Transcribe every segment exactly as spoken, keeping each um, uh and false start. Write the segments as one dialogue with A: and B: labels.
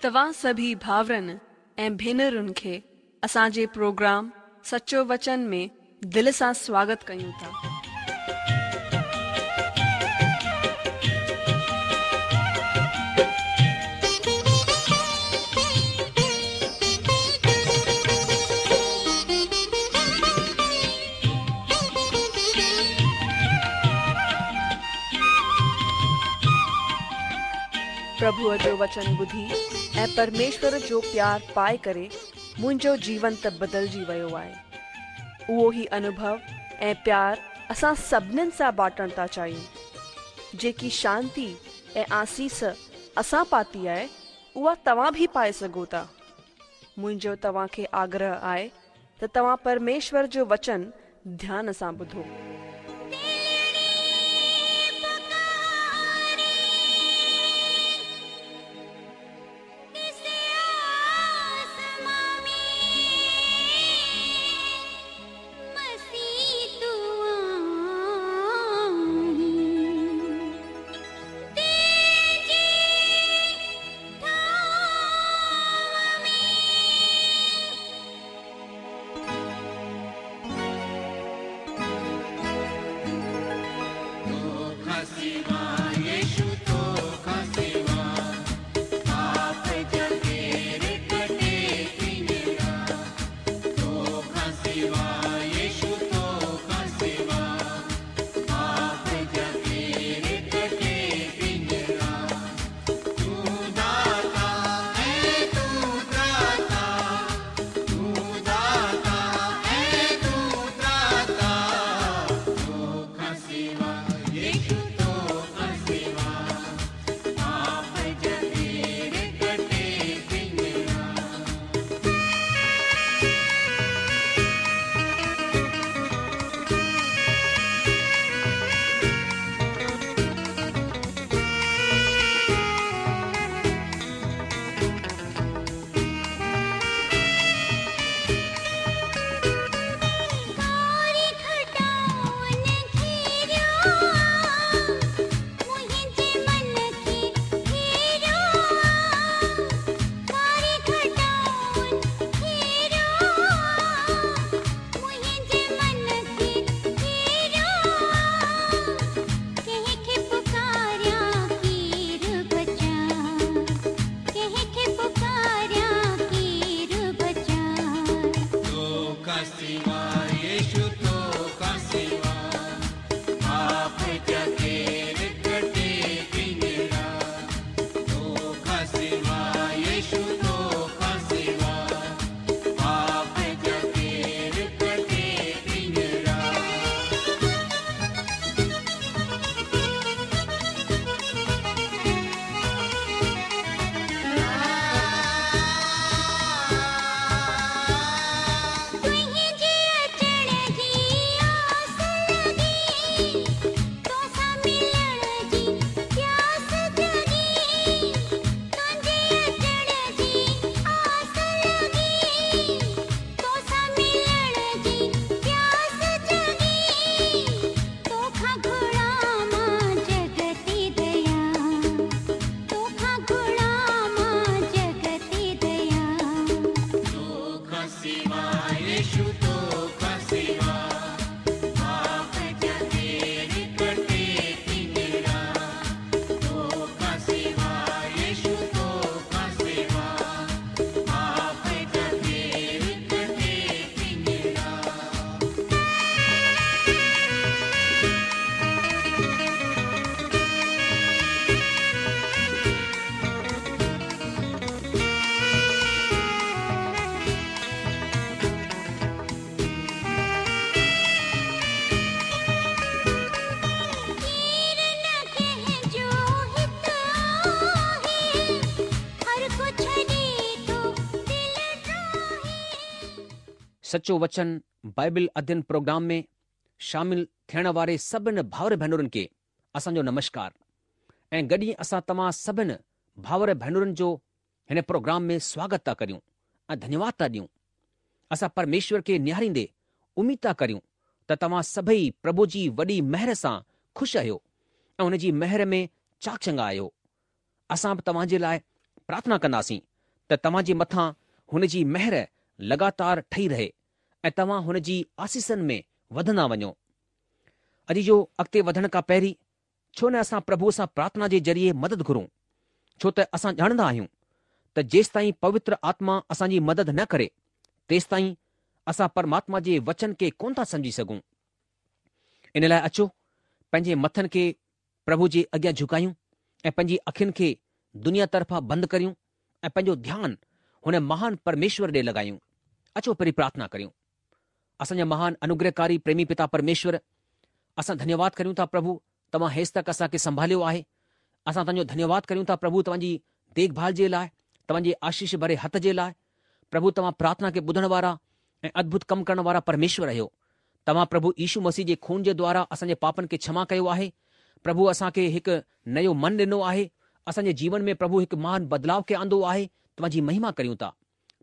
A: توهان سڀئي ڀائرن ۽ ڀينرن کي اسان جي پروگرام سچو وچن ۾ دل سان سواگت ڪيون ٿا. پرڀوءَ جو وچن ٻڌي ۽ پرميشور جو پيار پائي ڪري منهنجو جيون ته بدلجي ويو آهي. اهو ئي انوڀو ۽ پيار اسان سڀنين سان بانٽڻ ٿا چاهيون. جيڪي شانتي ۽ آسيس اسان پاتي آهي اها توهان به پائي سگهو ٿا. منهنجو توهان کي آگرهه آهي ته توهان پرميشور جو وچن ڌيان سان ٻڌو.
B: سچو وچن بائبل اڌين پروگرام ۾ شامل ٿيڻ واري سڀن ڀائر ڀينرن کي اسان جو نمشڪار ۽ گڏ ئي اسان توهان سڀن ڀائر ڀينرن جو هن پروگرام ۾ سواگت ٿا ڪريون ۽ ڌنيواد ٿا ڏيون. اسان پرميشور کي نهاريندي اميد ٿا ڪريون ته توهان سڀئي پرڀو جي وڏي مهر سان خوش آهيو ۽ هن جي مهر ۾ چاڪ چڱا آهيو. اسان به توهان جي لاء پرارٿنا ڪنداسين ته توهان جي مٿان هن جي مهر لڳاتار ٺهي رهي ۽ توهان هن جي آسيسن ۾ وڌندا وڃو. عزيزو، اڳتي وڌڻ کان پهرين ڇو نه اسان پرڀوء سان پرارٿنا جي ذريعي مدد گهرون، ڇو ته اسان ڄاڻندا آهيون ته جيستائين پوتر آتما اسان جي مدد نه ڪري، تيستائين اسان پرماتما جي وچن کي ڪونه ٿا سمجهي سگهون. ان لاء اچو پنهنجي مٿن کي پرڀو جي اڳيان جهڪايون ۽ پنهنجي اکين کي دنيا طرفان بند ڪريون ۽ پنهنجو ڌيان هن مهان پرميشور ڏي لڳايون. اچو پهرين پرارٿنا ڪريون. اسان جا مهان انوگرهڪاري پريمي پتا پرميشور، اسان ڌنيواد ڪريون ٿا پرڀو توهان هيستڪ اسان کي سنڀاليو آهي. اسان توهان جو ڌنيواد ڪريون ٿا پرڀو توهان جي ديک ڀال جي لاء، توهان جي آشيش ڀري هٿ جي لاء. پرڀو توهان پرارٿنا کي ٻڌڻ وارا ۽ ادڀت ڪم ڪرڻ وارا پرميشور آهيو. توهان پرڀو يشو مسيح جي خون جي دوارا اسان جي پاپن کي ڇما ڪيو آهي. پرڀو اسان کي هڪ نيو من ڏنو آهي. اسان جي جيون ۾ پرڀو هڪ مهان بدلاء کي آندو آهي. توهان جي مهما ڪريون ٿا.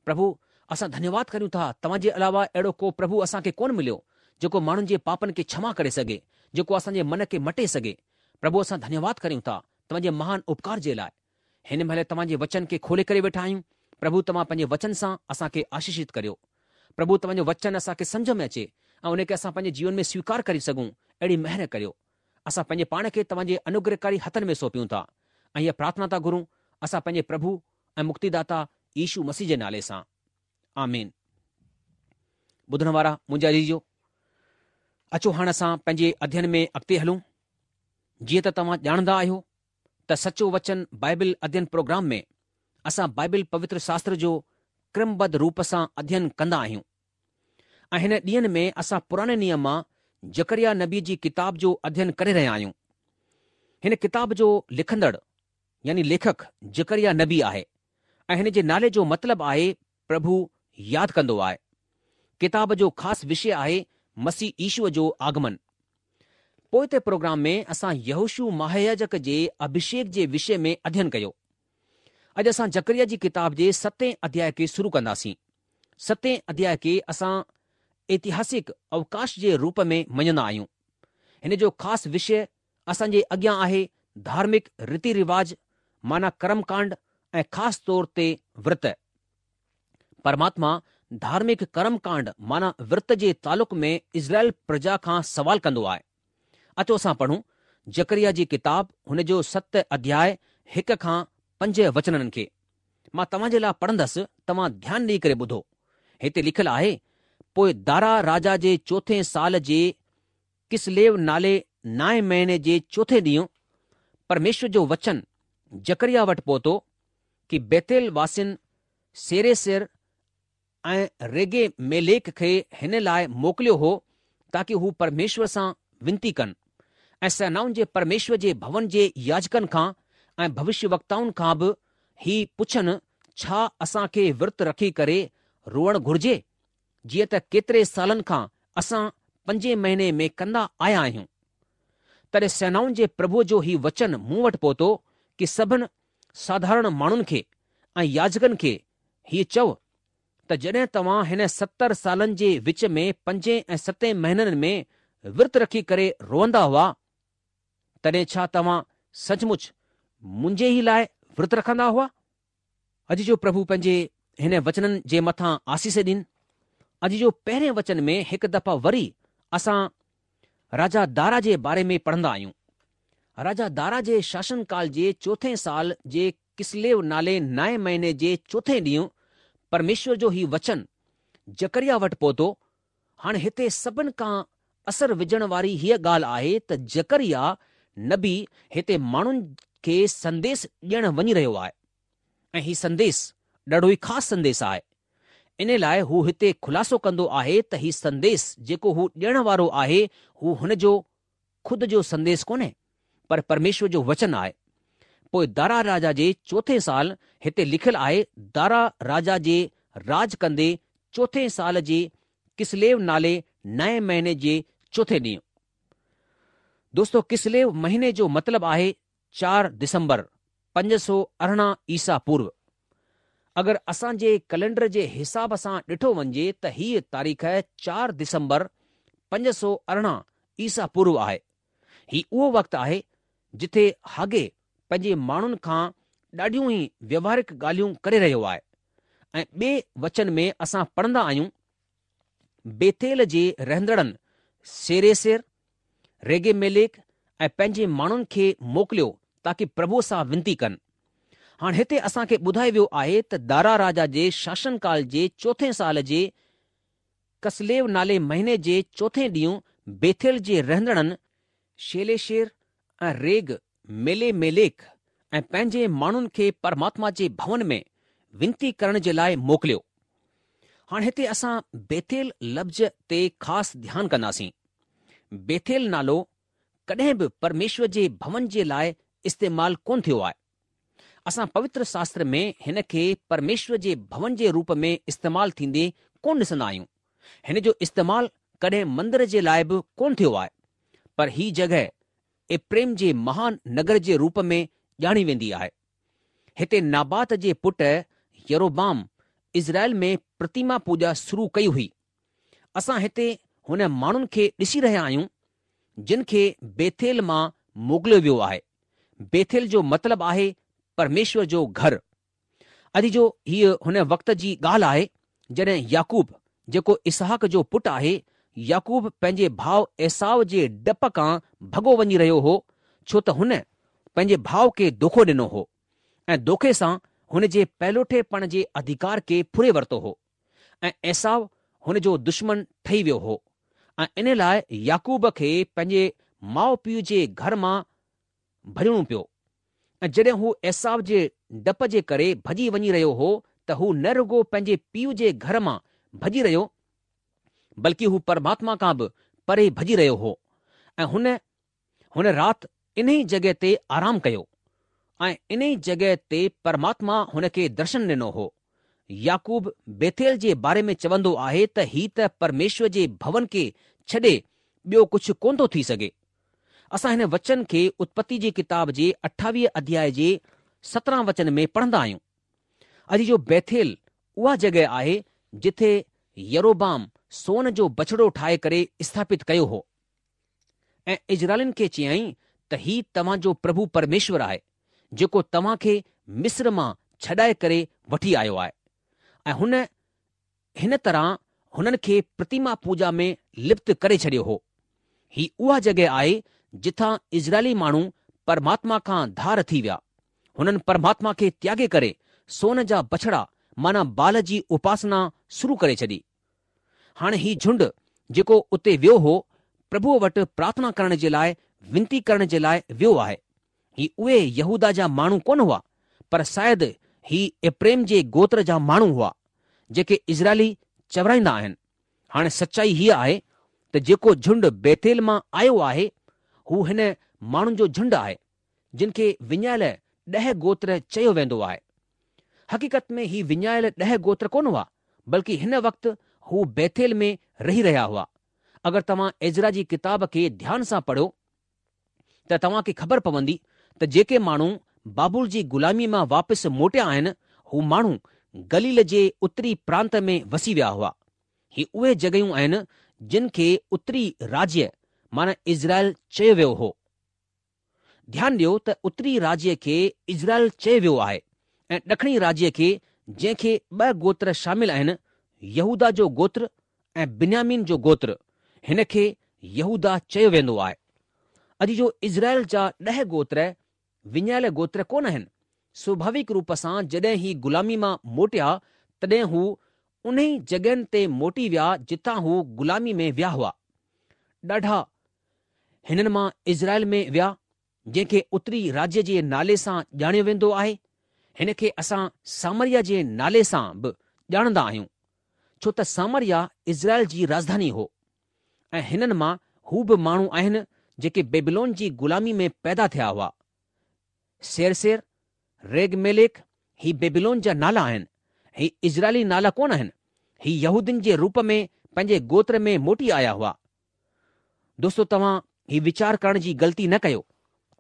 B: پرڀو اسان ڌنيواد ڪريون ٿا توهان جي علاوه اهڙو ڪو پرڀو اسان کي ڪونه مليو جيڪو ماڻهن جي پاپن کي ڇما ڪري سگهي، جيڪو اسان جي من کي مٽي سگهي. پرڀو اسان ڌنيواد ڪريون ٿا توهان جي مهان اپڪار جي لاء. هن مهل توهان جي وچن کي کولي ڪري ويٺا آهيون. پرڀو توهان پنهنجي وچن سان اسان کي آشيشت ڪريو. پرڀو توهان جو وچن اسان کي سمجهه ۾ اچي ۽ ان کي اسان پنهنجي جيون ۾ سويڪار ڪري سگهون اهڙي مهر ڪريو. اسان پنهنجي پاڻ کي توهان جي انوگرهڪاري هٿن ۾ سونپيون ٿا ۽ هيء پرارٿنا ٿا گهرون اسان پنهنجي پرڀو ۽ مڪتيداتا يشو مسيح جي نالي سان. آمين. ٻڌڻ وارا منهنجا عزيزو، اچو هاڻ اسان پنهنجي اڌين ۾ اڳتي هلون. جيئن ته توهان ڄاڻندا آهيو ته سچو وچن بائبل اڌين پروگرام ۾ اسان بائبل پوتر شاستر جو ڪرمبڌ روپ سان اڌين ڪندا آهيون ۽ هن ڏينهن ۾ اسان پراڻي نيم مان زڪريا نبي جي ڪتاب جو اڌين ڪري رهيا آهيون. هن ڪتاب جو لکندڙ يعني ليکڪ زڪريا نبي آهي ۽ هن جي نالي جو مطلب آهي پرڀو ياد ڪندو آهي. ڪتاب جو خاص وشي آهي مسيح يشوء جو آگمن. پوئتي پروگرام ۾ اسان يهوشوع مهاياجڪ جي اڀشيڪ جي وشي ۾ اڌين ڪيو. اڄ اسان زڪريا جي ڪتاب جي ستين اڌياء کي شروع ڪنداسين. ستين اڌياء کي اسان اتهاسڪ اوڪاش جي روپ ۾ مڃندا آهيون. هن جو خاص وشي اسان جي اڳيان آهي ڌارمڪ ريتي رواج معنيٰ ڪرم ڪانڊ ۽ خاص طور تي ورت. پرماتما ڌارمڪ ڪرم ڪانڊ معنيٰ ورت جي تعلق ۾ اسرائيل پرجا کان سوال ڪندو آهي. اچو اسان پڙهون زڪريا جي ڪتاب هن جو ست اڌياء هڪ کان پنج وچنن کي. مان توهان جي لاء پڙهندس توهان ڌيان ڏيئي ڪري ٻڌو. هتي لکيل آهي، پوء دارا راجا جي چوٿين سال جي ڪسليو نالي نائين مهيني جي چوٿين ڏينهن پرميشور جو وچن زڪريا وٽ پهتو ڪي بيتيل واسين سريسر ۽ ريگي ميليڪ کي هن لاء موڪليو هو تاڪي هو پرميشور سان ونتي ڪن ۽ سينائن جي پرميشور جي ڀون جي ياجڪن کان ۽ ڀوشيه وڪتائن کان به هي پڇن ڇا اسان کي ورت رکي ڪري روئڻ گهرجي جيئن ته ڪيتري سالن کان اسان پنجين مهيني ۾ ڪندا آيا آهيون. تڏهن سينائن جي پرڀوء جو هي وچن مون وٽ پهتو ڪي سڀن ساڌارڻ ماڻهن کي ۽ ياجڪن کي هيء چئو ته جڏهن توهان هن ستر سالن جي وچ ۾ پنجين ۽ ستين مهينن ۾ ورت رکي ڪري روئندا هئا، تڏهن ڇا توهان سچ مچ منهنجي ئي لاء ورت رکندا هئا؟ اڄ جو پرڀو پنهنجي هن وچنن جي مٿان آسيس ڏين. اڄ جو پهرين وچن ۾ هڪ دفعا وري اسان راجا دارا جي باري ۾ پڙهندا آهيون. راجا دارا جي شاسن ڪال جي چوٿين سال جي ڪسليو نالي نائين مهيني جي چوٿين ڏينهن پرميشور جو هي وچن زڪريا وٽ پهتو. هاڻي هتي سڀن کان اثر وجهڻ واري هيء ڳالهه آهي ته زڪريا نبي هتي ماڻهن کي سنديس ڏيڻ وڃي رهيو آهي ۽ هي سنديس ڏاڍو ئي خاص سنديس آهي. ان لاء هو هتي خلاصو ڪندو آهي ته هي سنديس جيڪو هو ڏيڻ وارو آهي هو هن جو خود جو سنديس ڪونهي پر پرميشور جو وچن آهي. پوء دارا راجا جي چوٿين سال هتي لکيل آهي دارا راجا جي راڄ ڪندي چوٿين سال جي ڪسليو نالي نائين مهيني جي چوٿين ڏينهن. دوستو ڪسليو مهيني جو مطلب آهي چار دسمبر پنج سؤ ارڙهن عيسيٰ پورو. اگر اسان جي ڪئلينڊر جي حساب سان ڏٺو وڃجي ته هيء تاريخ چار دسمبر پنج سؤ ارڙهن عيسيٰ پورو آهي. هي اهو وقت آهي جٿي حگي پنهنجي ماڻهن کان ڏاڍيون ئي ويوهارڪ ڳالهيون ڪري رهيو آهي. ۽ ٻئي وچن ۾ اسان پڙهندا آهيون، بيٿيل جي رهندڙن سيريسر، ريگيميليڪ ۽ پنهنجي ماڻهن کي موڪليو تاڪه پرڀوء سان ونتي ڪن. هاڻ هتي اسان کي ٻڌايو ويو آهي ته دارا راجا جي شاسن ڪال جي چوٿين سال جي ڪسليو نالي مهيني جي چوٿين ڏينهن بيٿيل جي رهندڙن شيليشير ۽ ريگ ميليميليڪ ۽ پنهنجي ماڻهن کي پرماتما جي ڀون ۾ ونتي ڪرڻ جي لاء موڪليو. هاڻ هتي اسان بيٿيل لفظ تي خاص ڌيان ڪنداسين. بيٿيل نالو ڪڏهن به پرميشور جي ڀون جي لاء استعمال ڪونه ٿيو آهي. اسان پوتر شاستر ۾ هن کي پرميشور جي ڀون جي روپ ۾ استعمال ٿيندي ڪونه ڏسندا آهيون. هن جو استعمال ڪڏهن مندر جي لاء به ڪونه ٿيو آهي. پر هي جڳهه ايپريم جي مهان نگر جي روپ ۾ ڄاڻي ويندي آهي. هتي نابات جي پٽ يروبعام اسرائيل ۾ پرتيما پوڄا شروع ڪئي هئي. اسان هتي هن ماڻهن کي ڏسي رهيا آهيون جن کي بيٿيل مان موڪليو ويو آهي. بيٿيل جو مطلب آهي پرميشور جو گهر. عزيزو هيء هن وقت جي ڳالهه آهي جڏهن يعقوب جيڪو اسحاق جو پٽ آهي، يعقوب پنهنجي ڀاء عيساو جي ڊپ کان ڀڳو وڃي رهيو هو ڇو ته هن پنهنجي ڀاء کي دوکو ڏنو هو ۽ دوکي سان هن جي پهلوٺي پڻ جي اڌيڪار کي ڦري ورتو هو ۽ عيساو هن جو دشمن ٺهي ويو هو ۽ ان لاء يعقوب کي پنهنجي ماء پيء جي گهر مان ڀڄڻو پيو ۽ جڏهن هو عيساو جي ڊپ جي ڪري ڀڄي وڃي رهيو هو ته هو نه رڳو پنهنجي پيء جي گهر مان ڀڄي رهيو بلڪه هو پرماتما کان به پري ڀڄي رهيو هو ۽ هن هن رات انهي جڳهه تي آرام ڪيو ۽ انهي جڳهه تي پرماتما هن کي درشن ڏنو هو. يعقوب بيٿيل جي باري ۾ چوندو آهي ته هي ته پرميشور جي ڀون کي ڇڏي ٻيو ڪجهه ڪونه ٿو ٿي سگهي. اسان هن وچن کي اتپتي جي ڪتاب جي اٺاويهه اڌياء جي سترهن وچن ۾ پڙهندا آهيون. عزيزو بيٿيل اها جڳهه آهي جٿي يروبعام سون جو بڇڙو ٺاهي ڪري اسٿاپت ڪيو هو ۽ اسرائيلين کي چيائين ته هي توهان جو پرڀو پرميشور آهي جيڪو توهان کي مصر مان ڇڏائي ڪري وٺي آيو آهي ۽ هن هن طرح هنن کي پرتيما پوڄا ۾ لپت ڪري ڇڏيو هو. هي اها جڳهه آهي جتان اسرائيلي ماڻهو پرماتما کان ڌار ٿي ويا. هنن پرماتما کي تياڳي ڪري سون جا بڇڙا معنيٰ بال جي اپاسنا شروع ڪري ڇڏي. هاڻي هي جهنڊ جيڪو اتي ويو هو، پرڀوء وٽ پرارٿنا ڪرڻ جي لاء، وينتي ڪرڻ جي لاء ويو آهي. هي اهي يهوداه جا ماڻهو ڪونه هئا، پر شايد هي ايپريم جي گوتر جا ماڻهو هئا، جيڪي اسرائيلي چورائيندا آهن. هاڻي سچائي هيء آهي ته جيڪو جهنڊ بيٿيل مان آيو آهي، هو هن ماڻهن جو جهنڊ آهي، جن کي وڃايل ڏهه گوتر چيو ويندو آهي. حقيقت ۾ هي وڃايل ڏهه گوتر ڪونه هئا، بلڪه هن وقت هو بيٿيل ۾ رهي رهيا هئا. اگر توهان عزرا جي ڪتاب کي ڌيان سان پڙهو ته توهان کي خبر پوندي ته جيڪي ماڻهو بابل جي غلاميء مان واپس موٽيا آهن، هو ماڻهو گليل جي اتري پرانت ۾ وسي ويا هئا. هي اهي جڳهيون آهن جن کي اتري راجيه معنيٰ اسرائيل چيو ويو هو. ڌيان ڏيو ته اتري راجيه کي اسرائيل چيو ويو آهي ۽ ڏکڻي راجيه کي جنهن کي ٻه گوتر شامل آهن، يهوداه جو گوتر ۽ بنيامين جو گوتر، هن کي يهوداه چيو ويندو آهي. عزيزو اسرائيل جا ڏهه گوتر وڃايل گوتر ڪونه آهن. سوڀاويڪ روپ سان جڏهن هي غلامي مان موٽيا تڏهن هو انهي جڳهين تي موٽي ويا جتان هو غلامي ۾ ويا هئا. ڏاڍا هنن مان اسرائيل ۾ ويا جنهن کي اتري راجيه جي نالي سان ڄاڻيو ويندو آهي. هن کي اسان سامريا جي نالي سان به ڄاڻندا آهيون. ڇو ته سامريا اسرائيل جي راڄڌاني هو ۽ هنن مان هو به ماڻهو آهن جيڪي بيبيلون جي غلامي ۾ پيدا ٿيا هئا. سيرسير، ريگميليڪ هي بيبيلون جا نالا آهن، هي اسرائيلي نالا ڪونه آهن، هي يهودين جي روپ ۾ پنهنجي گوتر ۾ موٽي آيا هئا. دوستو توهان هي ويچار ڪرڻ جي غلطي نه ڪيو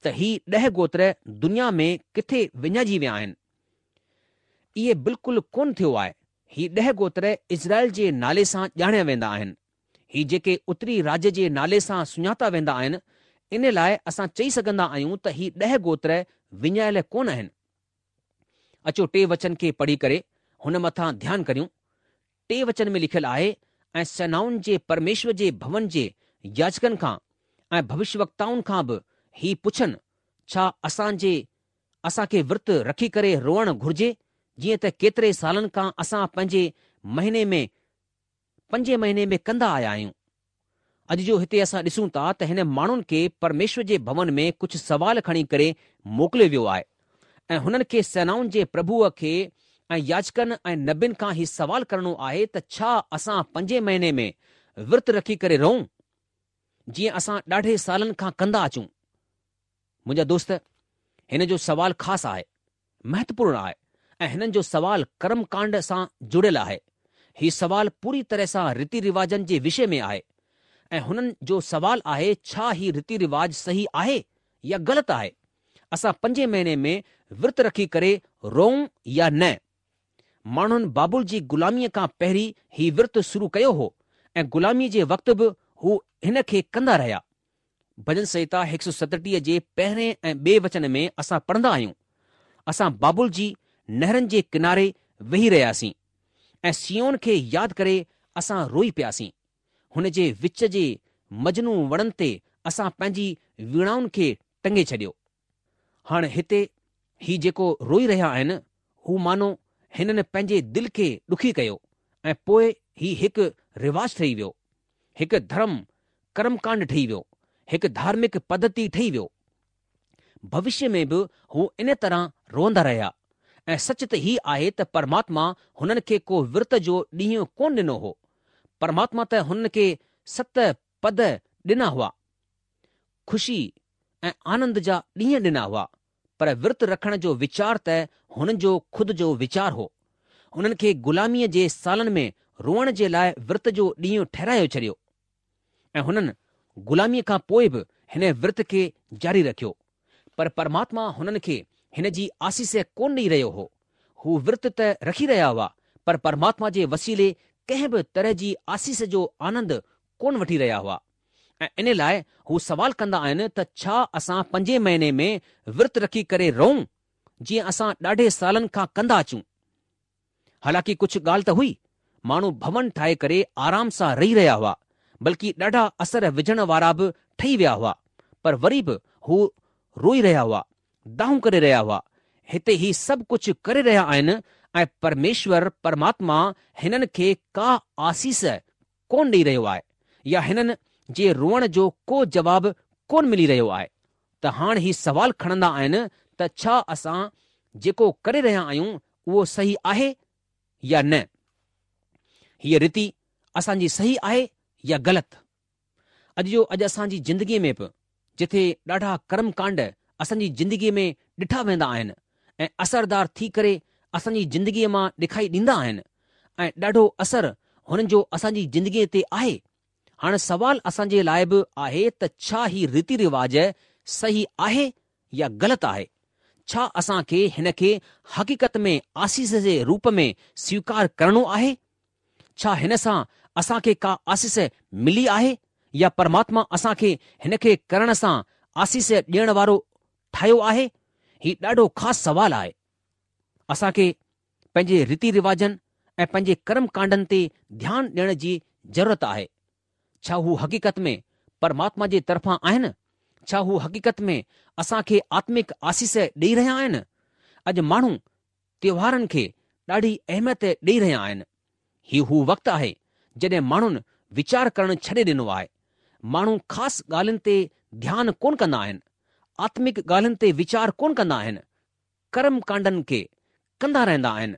B: ته هي ڏهه گوتر دنيا ۾ ڪٿي وڃائجي ويا آهن. اهي بلڪل ڪونه ٿيو آهي. هي ڏهه گوتر اسرائيل جي نالي سان ڄاڻيا ويندا آهن. هي جيڪي اتري راجيه جي نالي سان سڃاتا ويندا آهن، ان لاء اسان چئي سگهندا آهيون ته هي ڏهه گوتر وڃايل ڪونه آهن. اچو ٽي وچن کي پڙهي ڪري هن مٿان ڌيان ڪريون. ٽي وچن ۾ لکيل آهي، ۽ سينائن جي پرميشور جي ڀون جي ياجڪن کان ۽ ڀوشيوڪتائن کان به هي پڇن، ڇا اسان جي اسان کي ورت رکي ڪري روئڻ گهرجي، جيئن ته ڪيتري سالن کان اسان پنجين مهيني ۾ پنجين مهيني ۾ ڪندا آيا آهيون. اڄ جو هتي اسان ڏسون ٿا ته هن ماڻهن کي پرميشور جي ڀون ۾ ڪجهه سوال کڻي ڪري موڪليو ويو آهي ۽ هنن کي سينائن جي پرڀوء کي ۽ ياجڪن ۽ نبين کان هي سوال ڪرڻو آهي ته ڇا اسان پنجين مهيني ۾ ورت رکي ڪري روئون جيئن اسان ڏاڍي سالن کان ڪندا اچون. منهنجا دوست، هن جو سوال خاص آهي، مهتوپورڻ آهي ۽ هنن جو سوال ڪرم ڪانڊ سان جڙيل آهي. هي سوال پوري طرح سان ريتي رواجن جي وشي ۾ آهي ۽ هنن جو سوال آهي ڇا هي ريتي رواج صحيح آهي يا غلط آهي؟ اسان پنجين مهيني ۾ ورت رکي ڪري روئون يا نه؟ ماڻهن بابل جي غلاميء کان پهرين هي ورت شروع ڪيو هو ۽ غلاميء جي وقت به هو هن کي ڪندا رهيا. ڀڄن سنهتا هڪ سؤ ستٽيهه جي پهرين ۽ ٻئي وچن ۾ اسان پڙهندا آهيون، اسان بابل جي نهرن جي ڪناري ويهي رهياسين ۽ صيون کي ياد ڪري اسان روئي پياسين. هن جي وچ جي مجنون وڻن تي اسان پنهنجي ويڻائن کي ٽنگي ڇڏيو. هاڻ هتي هي جيڪو روئي رهيا آهن، هو مانو هنن پنهنجي دل کي ڏکي ڪيو ۽ پوء هي هڪ رواج ٺهي ويو، هڪ ڌرم ڪرم ڪانڊ ٺهي ويو، هڪ ڌارمڪ پڌتي ٺهي ويو. ڀوشيه ۾ به هو ان طرح روئندا رهيا ۽ سچ ته هي آهي ته پرماتما هنن کي ڪو ورت جو ڏينهن ڪونه ڏنو هو. پرماتما ته هنن کي ست پد ڏنا هئا. خوشي ۽ آنند جا ڏينهن ڏنا هئا، پر ورت رکڻ جو ويچار ته هنن جو خود جو ويچار هو. هنن کي غلاميء جي سالن ۾ روئڻ جي لاء ورت جو ڏينهن ٺهرايو ڇڏيو ۽ هنن غلاميء کان پوء به هن ورت کي جاري رکيو. پر پرماتما هنن کي هن جي آسيس ڪونه ڏئي رهيو هو. هو ورت ته رکي رهيا هئا، پر پرماتما جي وسيلي ڪنهن به طرح جي آسيس جو آنند ڪونه وٺي رهيا هئا. ۽ ان لاء هو سوال ڪندا آهن ته ڇا اسان پنجين مهيني ۾ ورت رکي ڪري روئون، جيئن اسان ڏاڍي سالن کان ڪندا اچون؟ حالانڪه ڪجهه ڳالهه ته هئي، ماڻهو ڀون ٺاهي ڪري آرام سان رهي رهيا هئا، بلڪه ڏاڍا اثر وجهڻ وارا به ٺهي ويا هئا، پر وري به هو روئي رهيا هئا، دانهون ڪري رهيا هئا. هتي هي سڀ ڪجهه ڪري رهيا آهن ۽ پرميشور پرماتما هنن کي ڪا آسيس ڪونه ڏئي رهيو آهي يا هنن جي روئڻ جو ڪو جواب ڪونه ملي رهيو آهي ته هاڻ هي سوال کڻندا آهن ته ڇا اسان جيڪو ڪري رهيا آهيون اهو صحيح آهي يا نه؟ هيء ريتي اسان جي صحيح آهي يا غلط؟ اڄ جو اڄ اسان جي زندگيء ۾ به جٿي ڏاڍا ڪرم ڪانڊ اسان جي زندگيء ۾ ڏٺا ويندا آهن ۽ اثردار ٿي ڪري اسان جي زندگيء مان ڏکائي ڏيندا آهن ۽ ڏاڍو اثر هنن جو اسان جي زندگيء تي آهي. هاڻ سوال اسان جي لاء به آهي ته ڇا هي ريتي رواج صحيح آهي يا غلط آهي؟ ڇا اسان کي هن کي حقيقت ۾ آسيس جي روپ ۾ سويڪار ڪرڻو آهي؟ ڇا هن سان اسان کي ڪا آسيس ملي آهي يا پرماتما اسان کي هن کي ڪرڻ سان آسيس ڏيڻ وارو ٺاهيو آهي؟ هي ڏاڍو خاص سوال آهي. اسان کي پنهنجي ريتي رواجن ۽ پنهنجي ڪرم ڪانڊن تي ڌيان ڏيڻ جي ضرورت آهي. ڇا هو حقيقت ۾ پرماتما جي طرفان آهن؟ ڇا هو حقيقت ۾ اسان کي آتمڪ آسيس ڏيئي رهيا آهن؟ اڄ ماڻهو تيوهارن کي ڏاڍي اهميت ڏيئي رهيا آهن. هي هو وقت آهي جڏهن ماڻهن ويچار ڪرڻ ڇڏي ڏنو آهي. ماڻهو خاص ڳالهين تي ڌيان ڪونه ڪندا آهن. آتمڪ ڳالهين تي ويچار ڪونه ڪندا آهن. ڪرم ڪانڊن کي ڪندا رهندا آهن.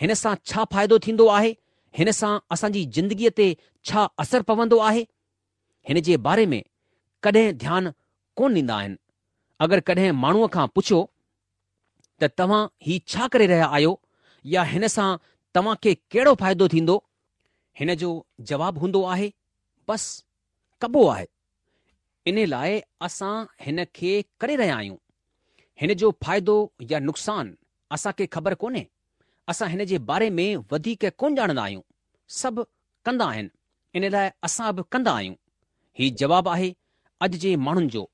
B: هن سان ڇا فائدو ٿيندو آهي؟ هن سان اسان جي زندگيء تي ڇا اثر پوندو آهي؟ هن جي باري ۾ ڪڏهن ڌيان ڪونه ڏيندا آهن. اگر ڪڏهن ماڻهوء کان پڇو ته توهان هي ڇا ڪري رهيا آهيو يا هن سان توهان کي ڪهڙو فائدو ٿيندو؟ هن جو جواب هوندو آهي، بس ڪبو آهي. ان لاء اسان هن کي ڪري رهيا آهيون. هن جو فائدو يا نقصان اسان کي خبر ڪونهي. اسان هن جي باري ۾ وڌيڪ ڪونه ڄاڻندا آهيون. سڀ ڪندا آهن، ان لاء اسان به ڪندا آهيون. هي جواب آهي اڄ جي ماڻهن جو.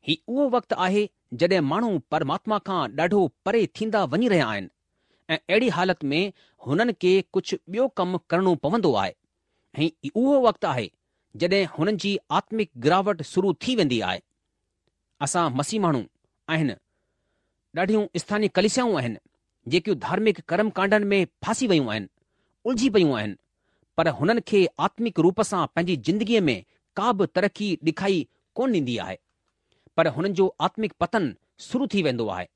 B: هي اهو وقت آهي جڏهن ماڻهو پرماتما کان ڏاڍو پري ٿيندا وڃي رهيا آهن ۽ اهڙي حالت ۾ هنن کي ڪجهه ٻيو ڪم ڪرڻو پوندو آهي ۽ اهو وقت آهي جڏهن هنن جي آتمڪ گراوٽ شروع ٿي ويندي آهي. اسان مسيح ماڻهو آهن. ڏاڍيون اسٿاني ڪليسيائون آهن جيڪيون ڌارمڪ ڪرم ڪانڊن ۾ ڦاسي ويون آهن، الجهي پيون آهن، پر هنن کي آتمڪ روپ سان پنهنجي زندگيء ۾ ڪا به ترقي ڏکائي ڪونه ڏيندي آهي. پر هنن جو آتمڪ پتن شروع ٿي ويندو آهي.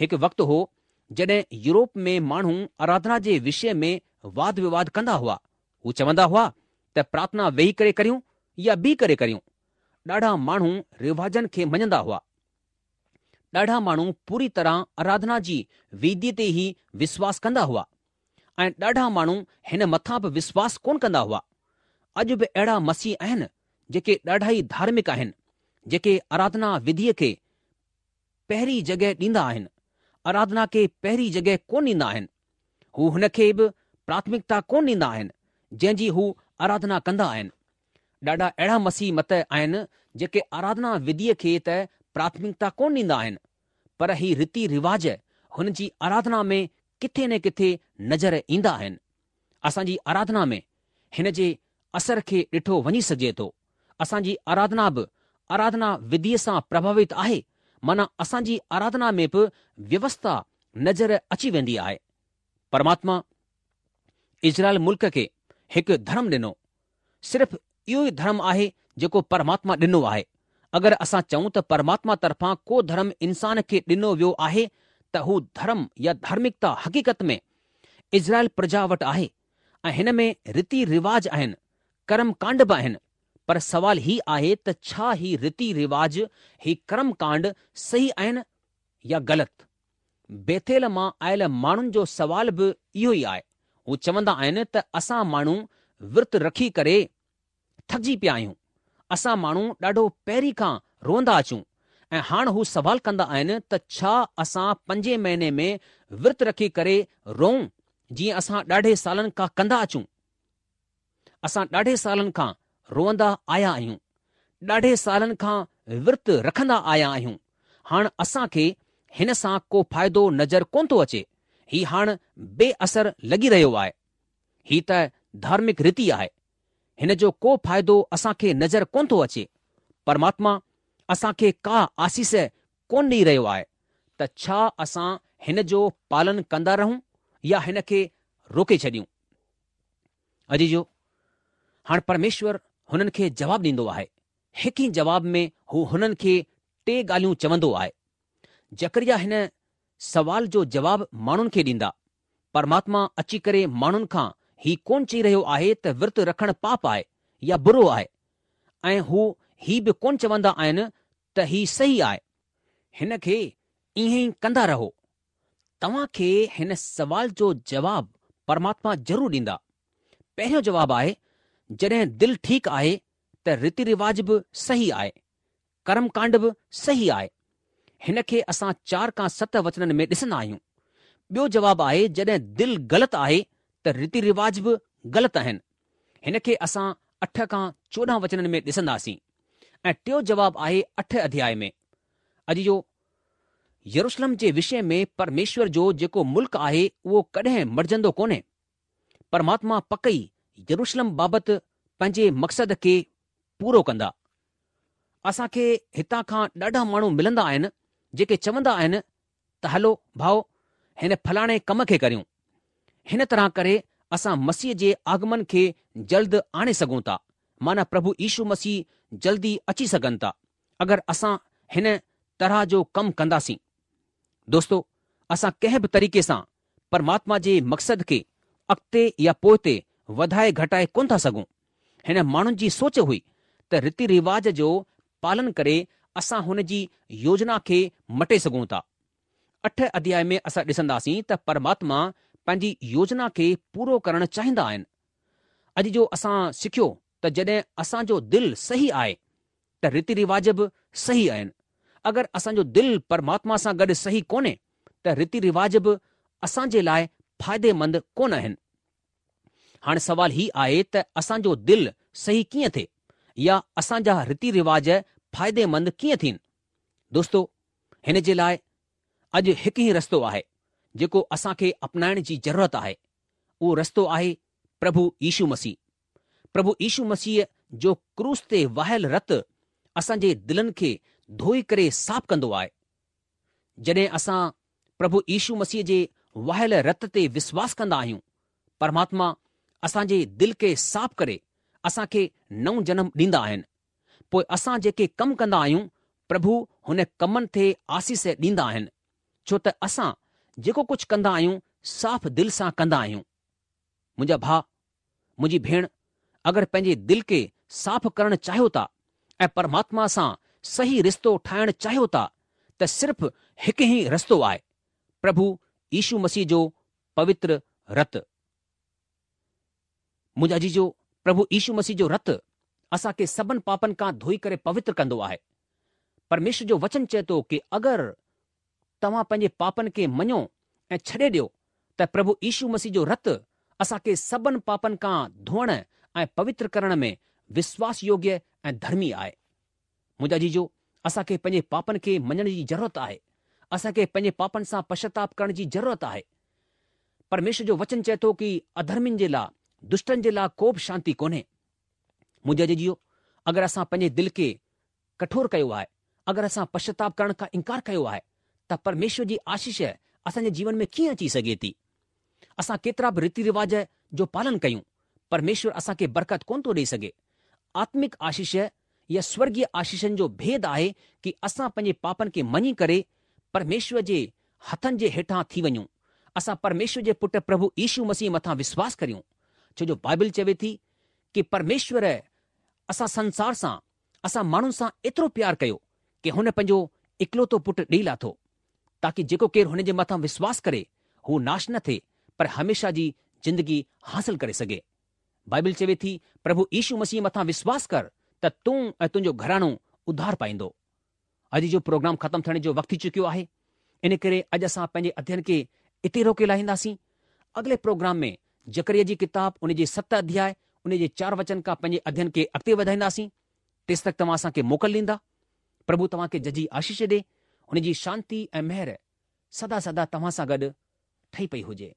B: هڪ وقت هو جڏهن يورپ ۾ ماڻهو آراڌنا جي وشي ۾ واد وواد ڪندا هئا. هو چوندا هئا ته پرارٿنا ويهي ڪري ڪريون يا بيهي ڪري ڪريون. ڏاڍا ماڻهو رواجن کي مڃندا هئا. ڏاڍا ماڻهو پوري طرح آراڌنا جي وڌيء تي ئي وشواس ڪندا هئا ۽ ڏاڍا ماڻهو هن مٿان به وشواس ڪونه ڪندا هئا. اڄ به اهڙا مسيح آهن جيڪي ڏاڍا ئي ڌارمڪ آهن، جيڪي آراڌنا وڌيء کي پهرين جڳهه ڏيندا آهن، آراڌنا کي پهرين جڳهه ڪونه ڏيندا آهن. هو هن کي به پراٿمڪتا ڪونه ڏيندا آهن، جنهن جي هو آراڌنا ڪندا آهن. ڏاڍا اهڙا مسيح مت آهن جيڪي آراڌنا وڌيء کي ته پراٿمڪتا ڪونه ڏيندا آهن، پر هي ريتي رواج هن جي آراڌنا ۾ ڪٿي نه ڪٿي نظر ايندا آهن. اسان جي آراڌنا ۾ هن جي اثر کي ڏٺو وڃي سگهجي ٿو. اسان جي آراڌنا به آراڌنا وڌيء سان پرڀاوت آهي، معنيٰ اسان جي آراڌنا ۾ به ويوسٿا نظر اچي ويندي آهي. پرماتما اسرائيل ملڪ کي هڪ ڌرم ڏنو. صرف اهو ئي ڌرم آهي جيڪو پرماتما ڏنو آهي. اگر اسان چئون ته پرماتما طرفان ڪو ڌرم انسان کي ڏنو ويو آهي ته هو ڌرم يا ڌارمڪتا حقيقت ۾ اسرائيل پرجا وٽ آهي ۽ هن ۾ ريتي رواج آهن، ڪرم ڪانڊ به آهن، پر سوال هي آهي ته ڇا هي ريتي رواج، هي ڪرم ڪانڊ صحيح آهن يا غلط؟ بيٿيل مان آيل ماڻهن جو سوال به اهو ئي آهي. هو چوندا آهن ته اسان ماڻهو ورت رکي ڪري ٿڪجي پيا آهيون. اسان ماڻهو ڏاڍو پهرين کان روئندا اچون ۽ هاڻ هو سوال ڪندا آهن ته ڇا اسان پنجين مهيني ۾ ورت رکي ڪري روئون جيئن اسان ڏاڍي سالن کان ڪندا اچون؟ اسان ڏاڍي سالن کان روئندا آيا آهيون. ڏاڍي سالن کان ورت رکندا آيا آهيون. هاڻ اسان کي هن سان ڪو فائدو نظر ڪونه ٿو اچي. هي هاڻ بي اثر لڳي رهيو آهي. هي ته ڌارمڪ ريتي آهي. هن جو ڪو فائدو اسان کي نظر ڪونه ٿو اچي. پرماتما اسان کي ڪا آسيس ڪونه ڏئي رهيو آهي ته ڇا اسان هن جو پالن ڪندا رهون يا هن کي روڪي ڇڏيون؟ عزيزو، هاڻ پرميشور هنن کي جواب ڏيندو آهي. هڪ ئي جواب ۾ هو هنن کي ٽي ڳالهيون چوندو آهي. زڪريا هن سوال جو جواب ماڻهن کي ڏيندا. پرماتما اچي ڪري ماڻهن کان هي ڪونه چئي رهيو آهي ته ورت رکڻ پاپ آهي يا برو آهي ۽ هو هي به ڪونه چوندا آهن ته هي صحيح آهي. هن کي ائين ئي ڪندا رهو. توهان کي هن سوال جو جواب پرماتما ضرور ڏيندا. پهريون جواب آهي، جڏهن دل ٺيڪ آهي ته ريتي رواج به صحيح آهي. ڪرم ڪانڊ به صحيح آهي. هن کي اسان چار کان ست وچنن ۾ ڏسندا آهيون. ٻيو جواب آهي جڏهن دل غلط آهي ته ريتي رواج به غلط آهن. هن کي اسان اٺ کان چوڏهن وچنن ۾ ڏسنداسين. ۽ ٽيو جواب آهي اٺ اڌياء ۾. عزيزو! يروشلم جي وشي ۾ پرميشور جو جيڪو ملڪ آهي اهو ڪڏهن مٽجندو ڪونهي. پرماتما پڪ ئي يروشلم بابت پنهنجي مقصد کي پورو ڪندا. اسان کي هتان کان ڏاڍا ماڻهو ملندا آهن جيڪي چوندا آهن ته هلو ڀائو هن فلاڻي ڪم کي ڪريون. هن طرح ڪري اسان مسيح جي آگمن کي جلد آڻي سگهون ٿا معنيٰ پرڀو يشو مسيح جلدي اچي سگهن ٿا اگر اسان هن طرح جو ڪم ڪنداسين. دوستو اسان ڪنهن به طريقي سان پرماتما جي مقصد کي اڳتي يا پوئتي وڌائي گهٽائي ڪونه ٿا سگهون. هن ماڻهن جي سوچ هئي ته ريتي رواج جو پالن ڪري اسان هن جي يوجنا کي مٽي سگهون ٿا. اٺ اڌياء ۾ اسان ڏسنداسين ته پرماتما پنهنجي يوجنا کي پورو ڪرڻ چاهيندا آهن. اڄ جو اسان سکيو ته جڏهن اسان جو دل صحيح آهي ته ريتي رواج به صحيح آهن. اگر اسان جو دل پرماتما سان گڏ صحيح ڪونهي ته ريتي رواج به اسان جي لاء فائديمند ڪونه آهن. هاڻ سوال هي آهي ته اسان جو دل صحيح ڪيئن ٿئي يا اسان جا ريتي رواج فائديمند ڪيئن ٿين؟ دوستو هن جي لاء اڄ هڪ ئي رستو آهي جيڪو اسان کي اپنائڻ جي ضرورت آهي. اهو رستو آهي پرڀو يشو مسيح. پرڀو يشو مسيح جو ڪروس تي واهيل رت اسان جي دلن کي ڌوئي ڪري صاف ڪندو آهي. جڏهن اسان پرڀو يشو مسيح جي واهيل رت تي وشواس ڪندا آهيون، پرماتما اسان جي دل کي صاف ڪري اسان کي نئون جنم ڏيندا آهن. پوء اسان جيڪي ڪم ڪندا آهيون، پرڀو هن ڪمن تي آشيش ڏيندا آهن، ڇو ته اسان جيڪو ڪجهه ڪندا آهيون صاف دل سان ڪندا آهيون. منهنجا ڀاء، منهنجي ڀيڻ، اگر پنهنجي دل کي صاف ڪرڻ چاهيو ٿا ۽ پرماتما سان صحيح رشتو ٺاهڻ چاهيو ٿا ته صرف هڪ ئي رستو آهي، پرڀو يشو مسيح جو پوتر رت. منهنجا عزيزو، پرڀو يشو مسيح جو رت اسان کي سڀن پاپن کان ڌوئي ڪري پوتر ڪندو آهي. پرميشور جو وچن چئي ٿو ڪي اگر توهان پنهنجي پاپن کي مڃو ۽ ڇڏي ڏيو ته پرڀو يشو مسيح جو رت اسان کي سڀن پاپن کان ڌوئڻ ۽ پوتر ڪرڻ ۾ وشواس يوگيه ۽ ڌرمي آهي. منهنجا عزيزو، اسان کي پنهنجي پاپن کي مڃڻ جي ضرورت آهي. اسان کي پنهنجي پاپن سان پشچاتاپ ڪرڻ جي ضرورت آهي. پرميشور جو وچن چئي ٿو ڪي اڌرمين جي لاء، دشٽن جي لاء ڪو به شانتي ڪونهي. منهنجا عزيزو، اگر اسان پنهنجي دل کي ڪٺور ڪيو آهي، اگر اسان پشچاتاپ ڪرڻ کان انڪار ڪيو آهي ته پرميشور جي آشيش اسان جي جيون ۾ ڪيئن اچي سگهي ٿي؟ اسان ڪيترا به ريتي رواج جو پالن ڪيون، پرميشور اسان کي برڪت ڪونه ٿو ڏئي سگهي. آتمڪ آشيش يا سورڳيه آشيشن جو ڀيد آهي ڪي اسان پنهنجي پاپن کي مڃي ڪري پرميشور جي هٿن جي هيٺان ٿي وڃون. اسان پرميشور جي پٽ پرڀو يشو مسيح مٿان وشواس ڪريون. ڇو جو بائبل چوي ٿي ڪي پرميشور اسان سنسار سان، اسان ماڻهن سان ايترو پيار ڪيو ڪي هن پنهنجو اڪلوتو پٽ ڏئي لاٿو تاڪي جيڪو ڪير هن جي مٿان وشواس ڪري هو ناش نه ٿئي پر هميشه جي زندگي حاصل ڪري سگهي. بائبل چوي ٿي پرڀو يشو مسيح مٿان وشواس ڪر ته تون ۽ تنهنجو گهراڻو اڌار پائيندو. اڄ جو پروگرام ختم ٿيڻ جو وقت ٿي چڪيو آهي ان ڪري اڄ اسان پنهنجي اڌيين کي اتي روڪي لاهينداسين. اڳلي پروگرام ۾ زڪريا جي ڪتاب ان جي ست اڌياء ان جي چار وچن کان پنهنجي اڌيين کي اڳتي وڌائينداسين. تيستڪ توهان اسان کي موڪل ڏيندا. پرڀو توهان کي ججهي آشيش ڏي. هن جي شانتي ۽ مهر سدا سدا توهان سان گڏ ٺهي پئي هجي.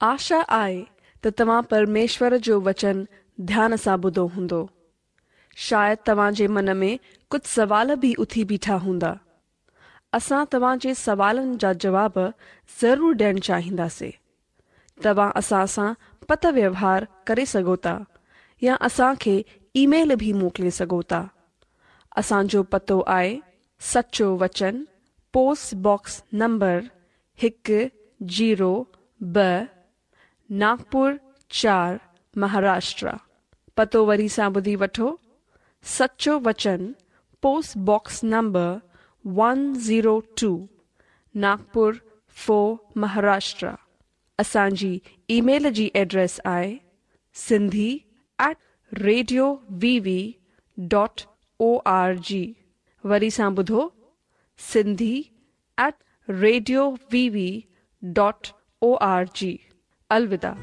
A: آشا آهي ته توهان پرميشور جو وچن ڌيان سان ٻڌو هوندو. شايد توهان جي من ۾ ڪجهه سوال به اٿي بيٺا هوندا. اسان توهان جي سوالن جا جواب ضرور ڏيڻ چاهينداسين. توهان اسان سان پتر ويوهار ڪري سگهو ٿا يا اسان کي اي ميل به موڪلي سگهو ٿا. اسان جو پتو آهي سچو وچن پوسٽ باڪس نمبر هڪ زيرو ٻه ناگپور چار مهاراشٽر. پتو وري سان ٻڌي وٺو، سچو وچن post box number one zero two Nagpur four Maharashtra. اسان جي اي ميل جي ايڊريس آهي Sindhi at radio V V dot O R G. وري سان ٻڌو Sindhi at radio V V dot O R G. الوداع.